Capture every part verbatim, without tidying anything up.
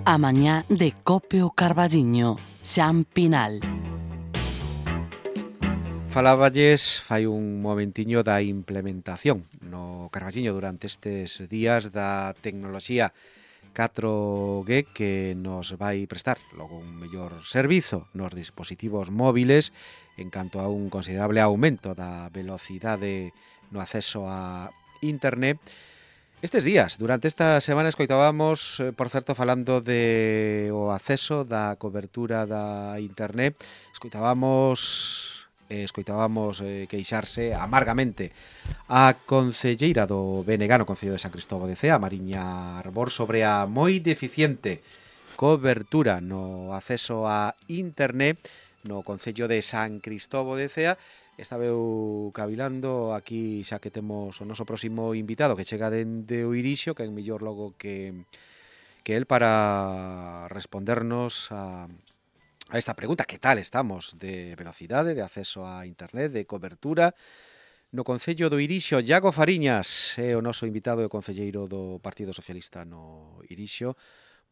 A mañá de Cope o Carballiño, Xan Pinal. Faláballes fai un momentiño da implementación no Carballiño durante estes días da tecnoloxía catro G que nos vai prestar logo un mellor servizo nos dispositivos móviles en canto a un considerable aumento da velocidade no acceso a internet. Estes días, durante esta semana, escoitábamos, por certo, falando de o acceso da cobertura da internet, escoitábamos, eh, escoitábamos eh, queixarse amargamente a concelleira do B N G no Concello de San Cristóbal de Cea, Mariña Arbor, sobre a moi deficiente cobertura no acceso a internet no Concello de San Cristóbal de Cea. Estaba eu cavilando aquí xa que temos o noso próximo invitado que chega dende o Irixio, que é mellor logo que, que el para respondernos a, a esta pregunta. Que tal estamos de velocidade, de acceso a internet, de cobertura no Concello do Irixio? Iago Fariñas é o noso invitado e o concelleiro do Partido Socialista no Irixio.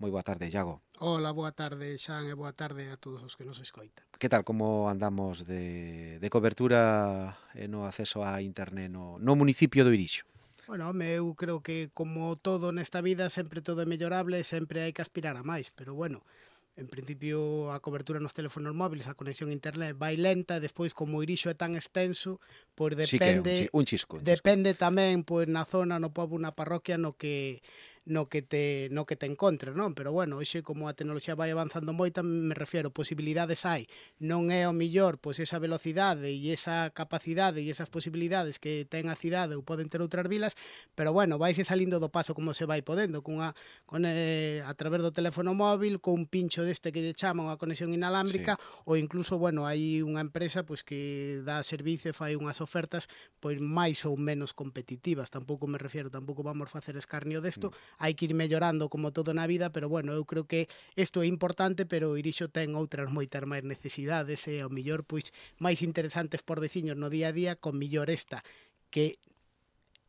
Moi boa tarde, Iago. Hola, boa tarde, Xan, e boa tarde a todos os que nos escoitan. Que tal, como andamos de, de cobertura e no acceso a internet no, no municipio do Irixio? Bueno, home, eu creo que como todo nesta vida sempre todo é mellorable, sempre hai que aspirar a máis, pero bueno, en principio a cobertura nos teléfonos móviles, a conexión a internet vai lenta, e despois como o Irixo é tan extenso, pois depende, sí que é un, chisco, un chisco. Depende tamén pois na zona, no pobo, na parroquia no que no que te no que te encontres, non? Pero bueno, hoxe como a tecnoloxía vai avanzando moito, me refiero, posibilidades hai. Non é o millor pois esa velocidade e esa capacidade e esas posibilidades que ten a cidade ou poden ter outras vilas, pero bueno, vaise salindo do paso como se vai podendo, cunha con eh, a través do teléfono móvil, con un pincho deste que lle chaman a conexión inalámbrica, sí. Ou incluso, bueno, hai unha empresa pois que dá servizo e fai unhas ofertas pois máis ou menos competitivas. Tampouco me refiero, tampouco vamos facer escarnio desto. Mm. Hai que ir mellorando como todo na vida, pero bueno, eu creo que isto é importante, pero o Irixo ten outras moitas máis necesidades e ao millor pois máis interesantes por veciños no día a día, con millor esta que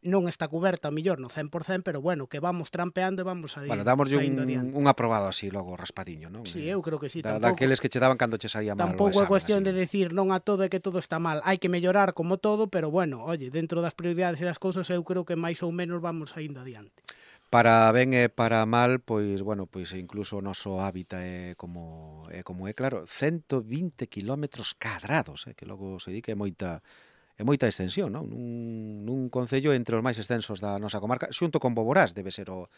non está coberta ao millor no cen por cento, pero bueno, que vamos trampeando e vamos a ir. Bueno, damoslle un, un aprobado así logo raspadiño, non? Sí, eu creo que sí. Da, daqueles que che daban cando che saía mal. Tampouco é cuestión así de decir non a todo e que todo está mal. Hai que mellorar como todo, pero bueno, oye, dentro das prioridades e das cousas eu creo que máis ou menos vamos a indo adiante. Para ben e para mal, pois, bueno, pois incluso o noso hábitat é como é, como é claro, ciento vinte kilómetros cadrados, eh, que logo se di que é moita, é moita extensión, non? Nun, nun concello entre os máis extensos da nosa comarca, xunto con Boborás, debe ser o,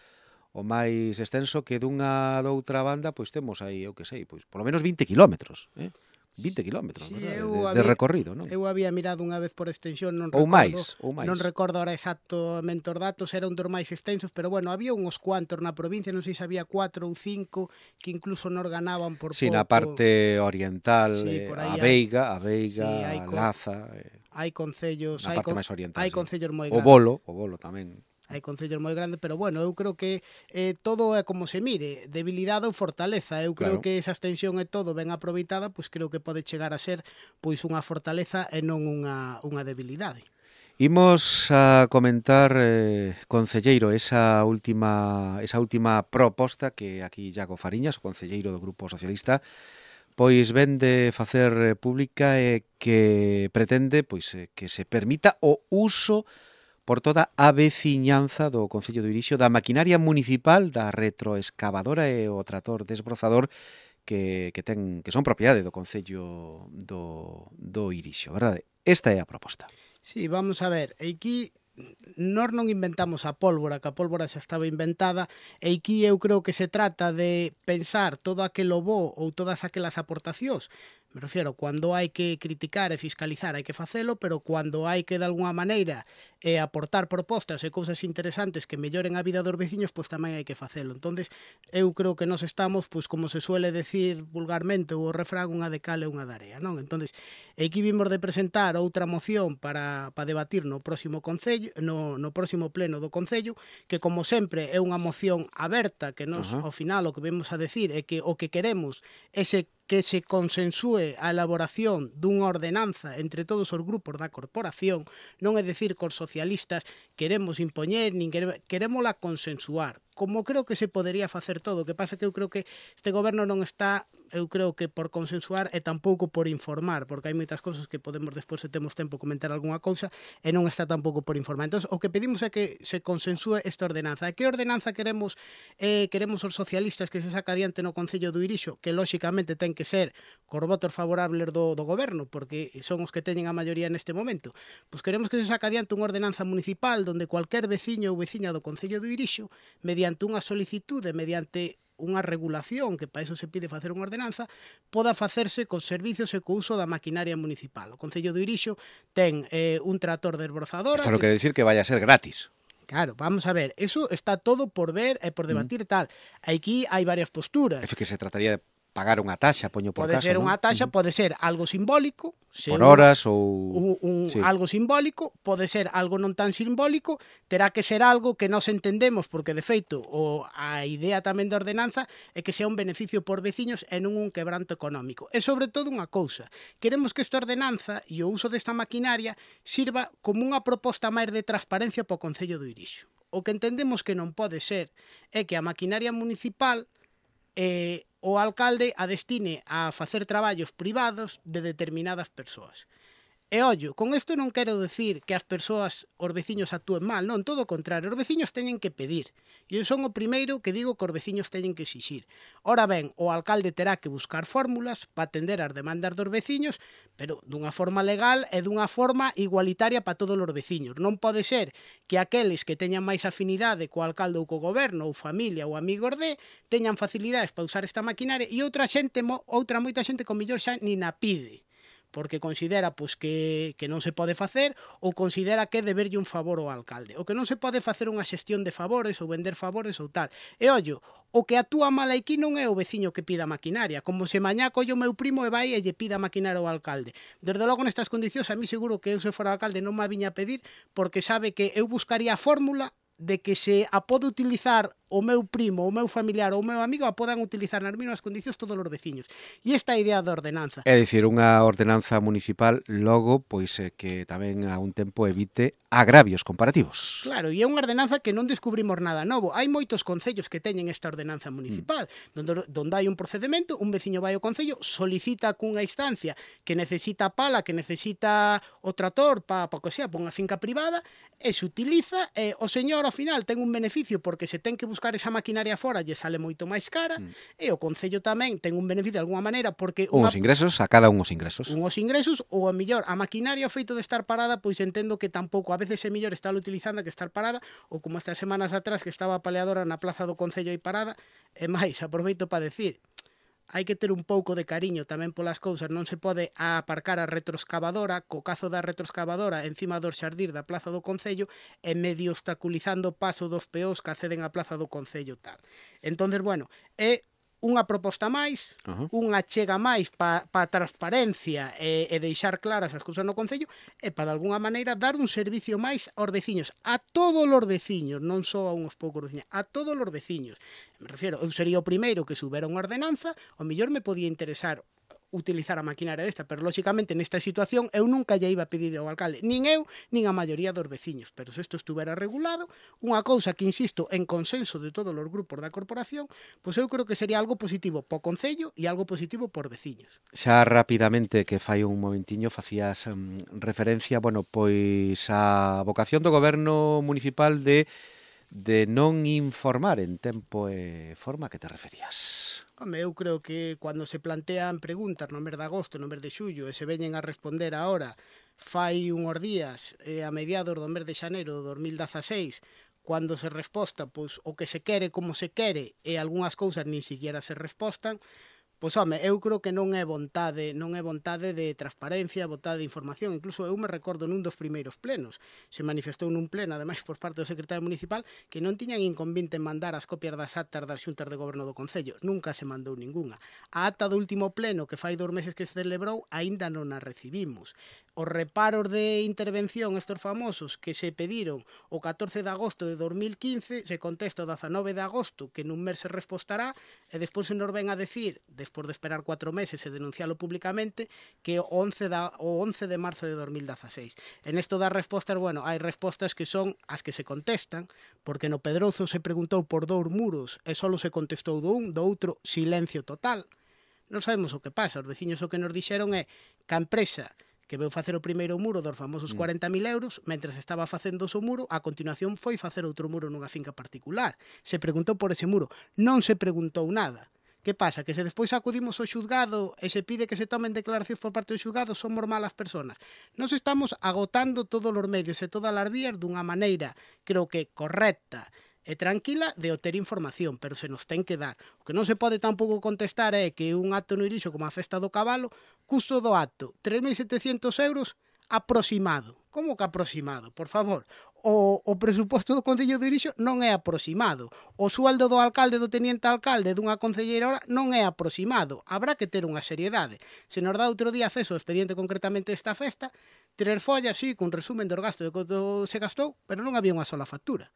o máis extenso, que dunha doutra banda, pois temos aí, eu que sei, pois polo menos vinte kilómetros, eh? vinte kilómetros, sí, de, de recorrido, non? Eu había mirado unha vez por extensión, non ou recordo, máis, ou máis. Non recordo ahora exactamente os datos, era un dos máis extensos, pero bueno, había uns cuantos na provincia, non sei se había cuatro ou cinco que incluso nos ganaban por sí, pouco. Na parte oriental, sí, eh, a Veiga, a Veiga, sí, a Laza, eh, hai concellos, na hai parte con, máis oriental, hai sí. concellos moi O grandes. Bolo, o Bolo tamén. Hai concellos moi grandes, pero bueno, eu creo que eh, todo é como se mire, debilidade ou fortaleza. Eu creo claro. que esa extensión é todo ben aproveitada, pois creo que pode chegar a ser pois unha fortaleza e non unha, unha debilidade. Imos a comentar, eh, concelleiro, esa última, esa última proposta que aquí Iago Fariñas, o concelleiro do Grupo Socialista, pois ven de facer pública e que pretende pois que se permita o uso por toda a veciñanza do Concello do Irixio da maquinaria municipal, da retroexcavadora e o trator desbrozador que, que, ten, que son propiedade do Concello do, do Irixio, verdade? Esta é a proposta. Sí, vamos a ver, aquí nós non inventamos a pólvora, que a pólvora xa estaba inventada, e aquí eu creo que se trata de pensar todo aquelo bo ou todas aquelas aportacións. Me refiero, cando hai que criticar e fiscalizar hai que facelo, pero cando hai que de alguna maneira eh, aportar propostas e cousas interesantes que melloren a vida dos veciños, pois tamén hai que facelo. Entonces, eu creo que nós estamos, pois como se suele decir vulgarmente o refrán, unha de cal e unha de area, non? Entonces, aquí vimos de presentar outra moción para, para debatir no próximo concello, no, no próximo pleno do Concello, que como sempre é unha moción aberta, que nós, uh-huh. ao final, o que vemos a decir é que o que queremos é se que se consensúe a elaboración dunha ordenanza entre todos os grupos da corporación, non é dicir que os socialistas queremos impoñer, nin queremos, querémola consensuar, como creo que se podería facer todo, o que pasa que eu creo que este goberno non está, eu creo que por consensuar e tampouco por informar, porque hai moitas cousas que podemos despois, se temos tempo, comentar algunha cousa, e non está tampouco por informar. Entón, o que pedimos é que se consensúe esta ordenanza. E que ordenanza queremos eh, queremos os socialistas que se saca adiante no Concello do Irixo, que lóxicamente ten que ser cos votos favorables do, do goberno, porque son os que teñen a maioría neste momento. Pois queremos que se saca adiante unha ordenanza municipal donde cualquier veciño ou veciña do Concello do Irixo, mediante unha solicitude, mediante unha regulación, que para iso se pide facer unha ordenanza, poda facerse cos servicios e co uso da maquinaria municipal. O Concello do Irixo ten eh, un trator de esborzadora... Isto non que... quere dicir que vaya a ser gratis. Claro, vamos a ver, eso está todo por ver e por debatir e tal. Aquí hai varias posturas. É que se trataría de pagar unha taxa, poño por pode caso, ser non? unha taxa, Uh-huh. pode ser algo simbólico, por horas ou un, un, sí. algo simbólico, pode ser algo non tan simbólico, terá que ser algo que nos entendemos, porque de feito o a idea tamén da ordenanza é que sea un beneficio por veciños e non un quebranto económico. E sobre todo unha cousa, queremos que esta ordenanza e o uso desta maquinaria sirva como unha proposta máis de transparencia para o Concello do Irixo. O que entendemos que non pode ser é que a maquinaria municipal eh, o alcalde a destine a facer traballos privados de determinadas persoas. E ollo, con isto non quero decir que as persoas, os veciños actúen mal, non, todo o contrario, os veciños teñen que pedir. E eu son o primeiro que digo que os veciños teñen que exixir. Ora ben, o alcalde terá que buscar fórmulas para atender as demandas dos veciños, pero dunha forma legal e dunha forma igualitaria para todos os veciños. Non pode ser que aqueles que teñan máis afinidade co alcalde ou co goberno, ou familia ou amigos de, teñan facilidades para usar esta maquinaria e outra xente, outra moita xente con millor xa nin a pide, porque considera pois, que, que non se pode facer ou considera que é deberlle un favor ao alcalde. O que non se pode facer unha xestión de favores ou vender favores ou tal. E ollo, o que actúa mal aquí non é o veciño que pida maquinaria, como se mañá colle o meu primo e vai e lle pida maquinaria ao alcalde. Desde logo nestas condicións a mí seguro que eu se fora alcalde non me viña a pedir, porque sabe que eu buscaría a fórmula de que se a pode utilizar o meu primo, o meu familiar ou o meu amigo a podan utilizar nas mesmas condicións todos os veciños. E esta idea da ordenanza. É dicir, unha ordenanza municipal logo, pois eh, que tamén a un tempo evite agravios comparativos. Claro, e é unha ordenanza que non descubrimos nada novo. Hai moitos concellos que teñen esta ordenanza municipal, mm. donde, donde hai un procedimento, un veciño vai ao concello, solicita cunha instancia que necesita pala, que necesita o trator para pa que sea, pa unha finca privada, e se utiliza, e o señor ao final ten un beneficio porque se ten que buscar esa maquinaria fora lle sale moito máis cara, mm. e o concello tamén ten un beneficio de alguma maneira porque unhos unha... ingresos, a cada unhos ingresos. Unhos ingresos, ou a millor a maquinaria o feito de estar parada, pois entendo que tampouco a veces é millor estar utilizando que estar parada, ou como estas semanas atrás que estaba a paleadora na plaza do concello aí parada, e máis, aproveito para decir, hai que ter un pouco de cariño tamén polas cousas, non se pode aparcar a retroexcavadora, co cazo da retroexcavadora encima dos xardín da plaza do concello e medio obstaculizando o paso dos peóns que acceden á plaza do concello tal. Entonces, bueno, é unha proposta máis, uh-huh. unha chega máis para pa transparencia e, e deixar claras as cousas no concello e para, de alguna maneira, dar un servicio máis aos veciños, a todos os veciños, non só a uns poucos veciños, a todos os veciños. Me refiero, eu sería o primeiro que subera unha ordenanza, o mellor me podía interesar utilizar a maquinaria desta, pero lóxicamente nesta situación eu nunca lle iba a pedir ao alcalde, nin eu, nin a maioría dos veciños, pero se isto estuvera regulado, unha cousa que, insisto, en consenso de todos os grupos da corporación, pois eu creo que sería algo positivo po concello e algo positivo por veciños. Xa rapidamente, que fai un momentiño, facías um, referencia, bueno, pois a vocación do goberno municipal de de non informar en tempo e forma. Que te referías? Home, eu creo que cando se plantean preguntas no mes de agosto, no mes de xullo, e se veñen a responder ahora, fai unhos días, eh, a mediados do mes de xaneiro do dos mil dezaseis, cando se resposta pois, o que se quere, como se quere, e algunhas cousas nin siquiera se respostan, pois, home, eu creo que non é vontade, non é vontade de transparencia, vontade de información. Incluso eu me recordo nun dos primeiros plenos. Se manifestou nun pleno, ademais, por parte do secretario municipal, que non tiñan inconvinte en mandar as copias das actas das xuntas de goberno do concello. Nunca se mandou ningunha. A acta do último pleno, que fai dos meses que se celebrou, aínda non a recibimos. os reparos de intervención estes famosos que se pediron o catorce de agosto de dos mil quince, se contesta o dezanove de agosto que nun mes se respostará, e despois se nos ven a decir, despois de esperar cuatro meses e denuncialo públicamente, que o once de marzo de dos mil dezaseis. En esto das respostas, bueno, hai respostas que son as que se contestan, porque no Pedrozo se preguntou por dous muros e só se contestou do un, do outro silencio total. Non sabemos o que pasa, os veciños o que nos dixeron é que a empresa que veu facer o primeiro muro dos famosos cuarenta mil euros, mentres estaba facendo o seu muro, a continuación foi facer outro muro nunha finca particular. Se preguntou por ese muro, non se preguntou nada. Que pasa? Que se despois acudimos ao xulgado e se pide que se tomen declaracións por parte do xulgado, somos malas persoas. Nos estamos agotando todos os medios e todas as vías dunha maneira, creo que correcta e tranquila de obter información, pero se nos ten que dar. O que non se pode tampouco contestar é que un acto no Irixo como a Festa do Cabalo, custo do acto tres mil setecientos euros aproximado. Como que aproximado? Por favor, o, o presuposto do Concello de Irixo non é aproximado. O sueldo do alcalde, do teniente alcalde, dunha concelleira non é aproximado. Habrá que ter unha seriedade. Se nos dá outro día acceso ao expediente concretamente desta festa, tres follas, sí, cun resumen dos gastos de quanto se gastou, pero non había unha sola factura.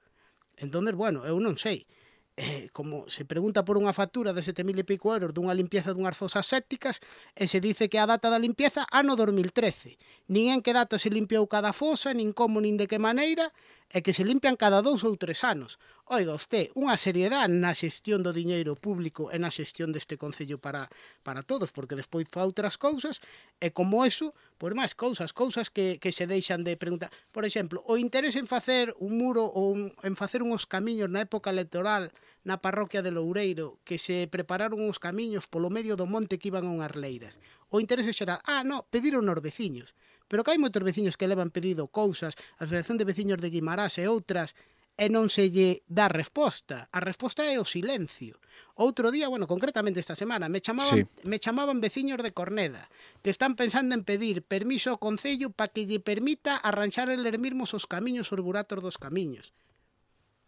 Entón, bueno, eu non sei. Eh, como se pregunta por unha factura de sete mil e pico euros dunha limpieza dunhas fosas sépticas e se dice que a data da limpieza ano dos mil trece. Nin en que data se limpiou cada fosa, nin como, nin de que maneira, e que se limpian cada dous ou tres anos. Oiga, usted, unha seriedade na xestión do diñeiro público e na xestión deste Concello para, para todos, porque despois fa outras cousas, e como eso, por máis cousas, cousas que, que se deixan de preguntar. Por exemplo, o interés en facer un muro ou un, en facer uns camiños na época electoral na parroquia de Loureiro, que se prepararon uns camiños polo medio do monte que iban a unhas leiras. O interés xeral, ah, no, pediron os veciños. Pero que hai moitos veciños que levan pedido cousas, a Asociación de Veciños de Guimarás e outras, e non se lle dá resposta. A resposta é o silencio. Outro día, bueno, concretamente esta semana, me chamaban, sí. me chamaban veciños de Corneda, que están pensando en pedir permiso ao Concello para que lle permita arranxar eles mesmos os camiños, os buratos dos camiños.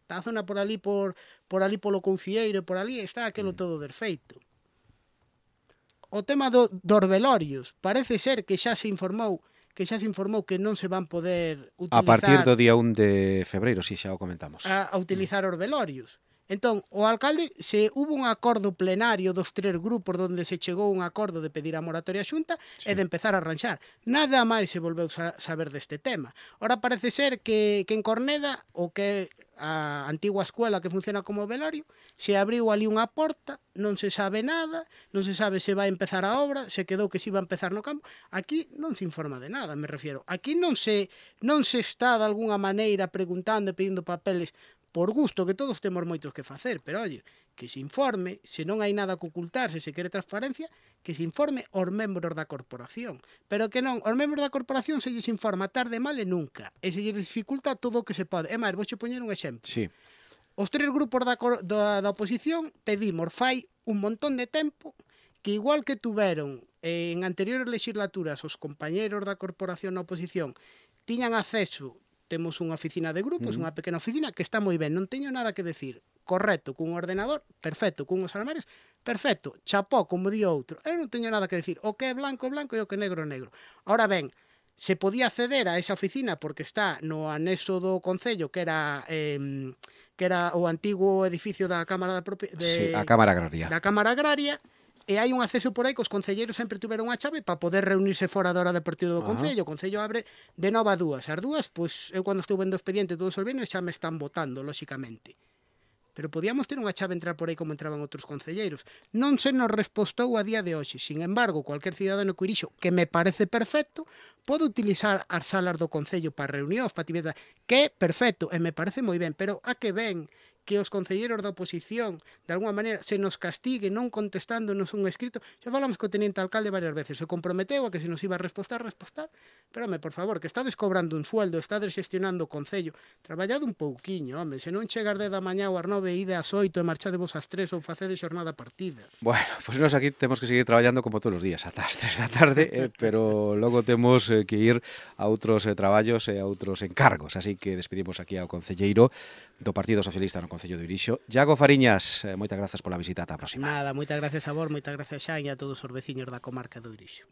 Está a zona por ali, por, por ali polo Coucieiro, por ali, está aquelo todo desfeito. O tema do, dos velorios, parece ser que xa se informou que xa se informou que non se van poder utilizar... A partir do día un de febreiro, si xa o comentamos. A, a utilizar os velorios. Entón, o alcalde, se hubo un acordo plenario dos tres grupos onde se chegou un acordo de pedir a moratoria xunta sí. e de empezar a arranxar. Nada máis se volveu a saber deste tema. Ora parece ser que, que en Corneda, o que a antigua escuela que funciona como velorio, se abriu ali unha porta, non se sabe nada, non se sabe se vai empezar a obra, se quedou que se iba a empezar no campo. Aquí non se informa de nada, me refiero. Aquí non se, non se está de alguna maneira preguntando e pedindo papeles por gusto, que todos temos moitos que facer, pero, oye, que se informe, se non hai nada que ocultar, se se quere transparencia, que se informe aos membros da corporación. Pero que non, aos membros da corporación se lles informa tarde, mal e nunca, e se lles dificulta todo o que se pode. É máis, vou xe poñer un exemplo. Sí. Os tres grupos da, da, da oposición pedimos fai un montón de tempo que igual que tuveron en anteriores legislaturas os compañeros da corporación na oposición tiñan acceso. Temos unha oficina de grupos, uh-huh. unha pequena oficina que está moi ben, non teño nada que decir. Correcto, cun ordenador, perfecto, cun os armarios, perfecto, chapó, como di outro. Eu non teño nada que decir. O que é blanco é blanco e o que é negro é negro. Ahora ben, se podía acceder a esa oficina porque está no anexo do Concello, que era eh, que era o antigo edificio da Cámara da Propi- de, sí, a Cámara Agraria. Da Cámara Agraria, e hai un acceso por aí que os concelleiros sempre tuveron a chave para poder reunirse fora da hora de partido do Concello. O Concello abre de nova a dúas. As dúas, pois, eu cando estou vendo o expediente todos os viernes xa me están votando, lóxicamente. Pero podíamos ter unha chave entrar por aí como entraban outros concelleiros. Non se nos respostou a día de hoxe. Sin embargo, cualquier cidadano co Irixo, que me parece perfecto, pode utilizar as salas do Concello para reunións, para actividades, que é perfecto, e me parece moi ben, pero a que ven que os concelleiros da oposición, de alguma maneira, se nos castigue non contestándonos un escrito. Xa falamos co teniente alcalde varias veces, se comprometeu a que se nos iba a respostar, respostar, pero, home, por favor, que estades cobrando un sueldo, estades gestionando o Concello, traballado un pouquiño, home, se non chegas de da mañá ou ás nove, ide ás oito e marchadevos ás tres ou facedes xornada partida. Bueno, pois pues nós aquí temos que seguir traballando como todos os días, ata as tres da tarde, eh, pero logo temos eh, que ir a outros eh, traballos e a outros encargos, así que despedimos aquí ao concelleiro do Partido Socialista no Concello de Irixo. Iago Fariñas, eh, moitas grazas pola visita, ata a próxima. Nada, moitas gracias a vos, moitas gracias xa e a todos os veciños da comarca do Irixo.